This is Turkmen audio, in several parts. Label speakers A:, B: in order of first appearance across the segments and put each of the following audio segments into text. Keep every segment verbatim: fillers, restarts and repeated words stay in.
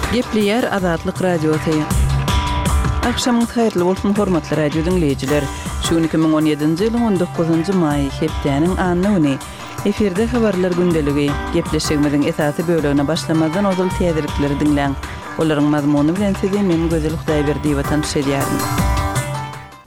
A: Gepleýär Azatlyk Radiosy. Agşamyňyz haýyrly bolsun, hormatly radio diňleýjiler. Şu gün iki müň on ýedinji ýylyň on dokuzynjy maýy, hepdäniň anna güni. Efirde habarlar gündeligi. Gepleşigimiziň esasy bölegine başlamazdan ozal täzelikleri diňläň. Olaryň mazmuny bilen sizi men Gözel Hudaýberdiýewa tanyş edýärin.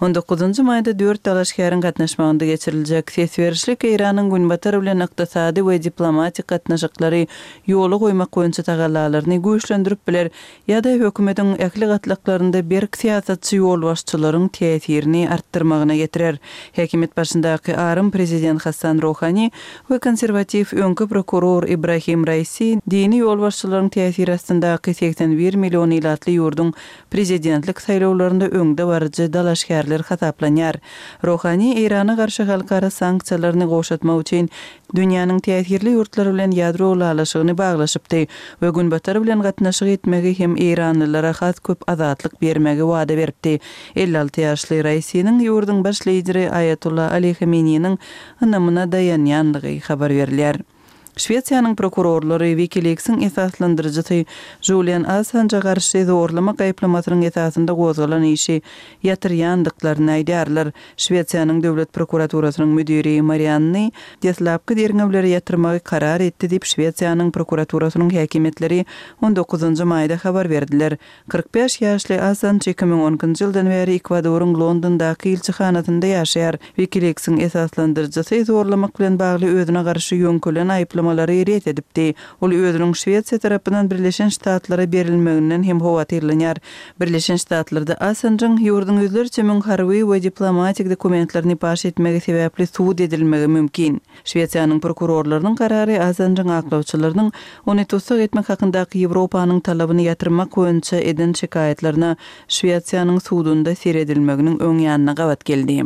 A: On dokuzynjy maýda dört dalaşgäriň gatnaşmagynda geçiriljek ses berişlik Eýranyň Günbatar bilen ykdysady we diplomatik gatnaşyklary ýola goýmak boýunça tagallalaryny güýçlendirip biler ýa-da hökümetiň ähli gatlaklarynda berk syýasatçy ýolbaşçylaryň täsirini artdyrmagyna getirer. Häkimiýet başyndaky arym prezident Hassan Rohani we konserwatiw öňki prokuror Ibrahim Raisi dini ýolbaşçylaryň täsiri astyndaky segsen bir million ilatly ýurduň prezidentlik saýlawlarynda öňde baryjy dalaşgärler hasaplanýar. Rohani Eýrana garşy halkara sanksiýalaryny gowşatmak üçin dünýäniň täsirli ýurtlary bilen ýadro ylalaşygyny baglaşypdy we Günbatar bilen gatnaşyk etmegi hem eýranlylara has köp azatlyk bermegi wada beripdi. Elli alty ýaşly Raisiniň ýurduň baş lideri Aýatollah Ali Hameneýiniň ynamyna daýanýanlygy habar berilýär. Şwesiýanyň prokurorlary WikiLeaks'in esaslandyryjysy Julian Assange'a garşy zorlama gaýyplamasynyň esasynda gozgalan işi ýatyrýandyklaryny aýdýarlar. Şwesiýanyň döwlet prokuraturasynyň müdiri Marianne deslapky derňewleri ýatyrmagy karar etdi diýip Şwesiýanyň prokuraturasynyň häkimiýetleri on dokuzynjy maýda habar berdiler. Kyrk bäş ýaşly Assange iki müň on ikinji ýyldan bäri Ekwadoryň Londondaky ilçihanasynda ýaşaýar. WikiLeaks'in esaslandyryjysy zorlamak bilen bagly özüne garşy ýöňkelen aýyplamalary ret edipdi. Ol özüniň Şwesiýa tarapyndan Birleşen Ştatlara berilmeginden hem howatyrlanýar. Birleşen Ştatlarda Assange'yň ýurduň ýüzlerçe müň harby we diplomatik dokumentlerini paş etmegi sebäpli sud edilmegi mümkin. Şwesiýanyň prokurorlarynyň karary Assange'yň aklawçylarynyň ony tussag etmek hakyndaky Ýewropanyň talabyny ýatyrmak boýunça eden şikaýatlaryna Şwesiýanyň sudunda seredilmeginiň öň ýanyna gabat geldi.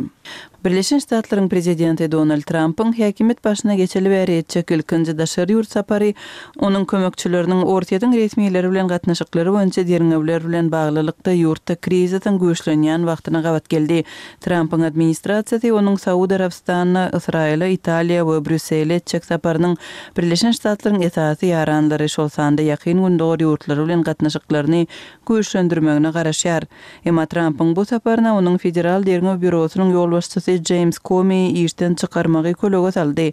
A: Birleşen Ştatlaryň prezidenti Donald Trump'yň häkimiýet başyna geçeli bäri etjek ilkinji daşary ýurt sapary onuň kömekçileriniň Orsýetiň resmileri bilen gatnaşyklary boýunça derňewler bilen baglylykda ýurtda krizisiň güýçlenýän wagtyna gabat geldi. Trump'yň administrasiýasy onuň Saud Arabystanyna, Ysraýyla, Italiýa we Brýussele etjek saparynyň Birleşen Ştatlaryň esasy ýaranlary, şol sanda ýakyn gündogar ýurtlary bilen gatnaşyklaryny güýçlendirmegine garaşýar. Emma Trump'yň bu saparyna onuň Federal Derňew Býurosynyň ýolbaşçysy James Comey işden çykarmagy kölege saldy.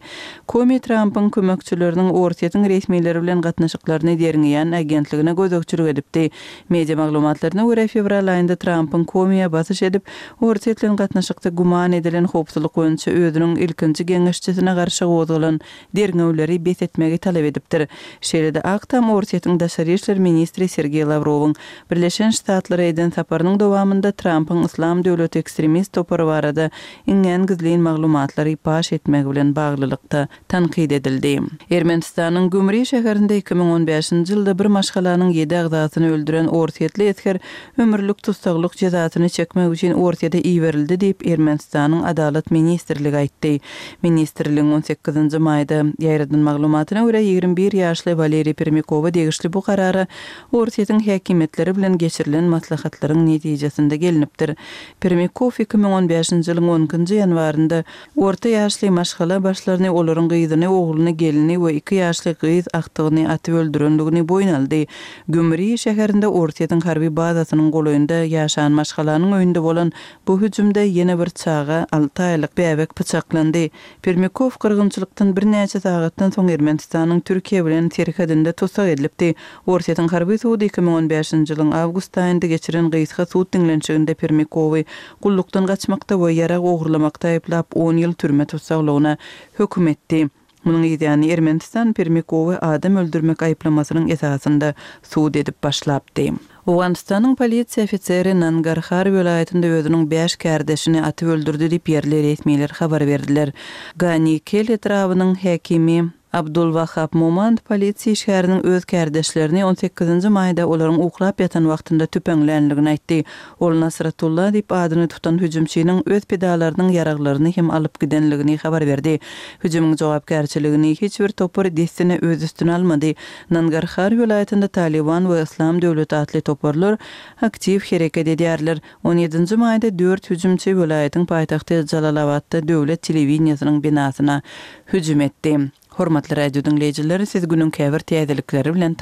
A: Comey Trump'yň kömekçileriniň Orsýetiň resmileri bilen gatnaşyklaryny derňeýän agentligine gözegçilik edipdi. Media maglumatlaryna görä fewral aýynda Trump'yň Comey'e basyş edip, Orsýet bilen gatnaşykda güman edilen howpsuzlyk boýunça özüniň ilkinji geňeşçisine garşy gozgalan derňewleri bes etmegi talap edipdir. Şeýle-de Ak Tam Orsýetiň daşary işler ministri Sergey Lavrov'yň Birleşen Ştatlara eden saparynyň dowamynda Trump'yň Islam döwleti ekstremist topary barada iňňän gizlin maglumatlary paş etmegi bilen baglylykda tankyt edildi. Ermenistanyň Gümri şäherinde iki müň on bäşinji ýylda bir maşgalanyň ýedi agzasyny öldüren Orsýetli esger ömürlik tussaglyk jezasyny çekmek üçin Orsýete iberildi diýip Ermenistanyň Adalat ministrligi aýtdy. Ministrligiň on sekizinji maýda ýaýradan maglumatyna görä ýigrimi bir ýaşly Waleriý Permikowa degişli bu karara Orsýetiň häkimiýetleri bilen geçirilen maslahatlaryň netijesinde gelinipdir. Permikow iki müň on bäşinji ýylyň on ikinji ýanwarynda orta ýaşly maşgala başlaryny, olaryň gyzyny, ogluny, gelini we iki ýaşly gyz agtygyny atyp öldürenligini boýun aldy. Gümri şäherinde Orsýetiň harby bazasynyň golaýynda ýaşan maşgalanyň öýünde bolan bu hüjümde ýene bir çaga alty aýlyk bäbek pyçaklandy. Permikow gyrgynçylykdan birnäçe sagatdan soň Ermenistanyň Türkiýe bilen serhedinde tussag edilipdi. Orsýetiň harby sudy iki müň on bäşinji ýylyň awgust aýynda geçiren gysga sud diňlenişiginde Permikowy gullukdan gaçmakda we ýarag ogurlamakda aýyplap on ýyl türme tussaglygyna höküm etdi. Munuň ýany Ermenistan Permikowy adam öldürmek aýyplamasynyň esasynda sud edip başlapdy. Owganystanyň polisiýa ofiseri Nangarhar welaýatynda özüniň bäş kärdeşini atyp öldürdi diýip ýerli resmiler habar berdiler. Gani Kel etrabynyň häkimi Abdulwahab Momand polisiýa işgäriniň öz kärdeşlerini on sekizinji maýda olaryň uklap ýatan wagtynda tüpeňlänligini aýtdy. Ol Nasratullah diýip adyny tutan hüjümçiniň öz pedalarynyň ýaraglaryny hem alyp gidenligini habar berdi. Hüjümiň jogapkärçiligini hiç bir topar dessine öz üstüne almady. Nangarhar welaýatynda Taliban we Islam döwleti atly toparlar aktiw hereket edýärler. On ýedinji maýda dört hüjümçi welaýatyň paýtagty Jalalabatda döwlet telewideniýesiniň binasyna hüjüm etdi. Hormatly radio diňleýjiler, siz günüň käbir täzelikleri bilen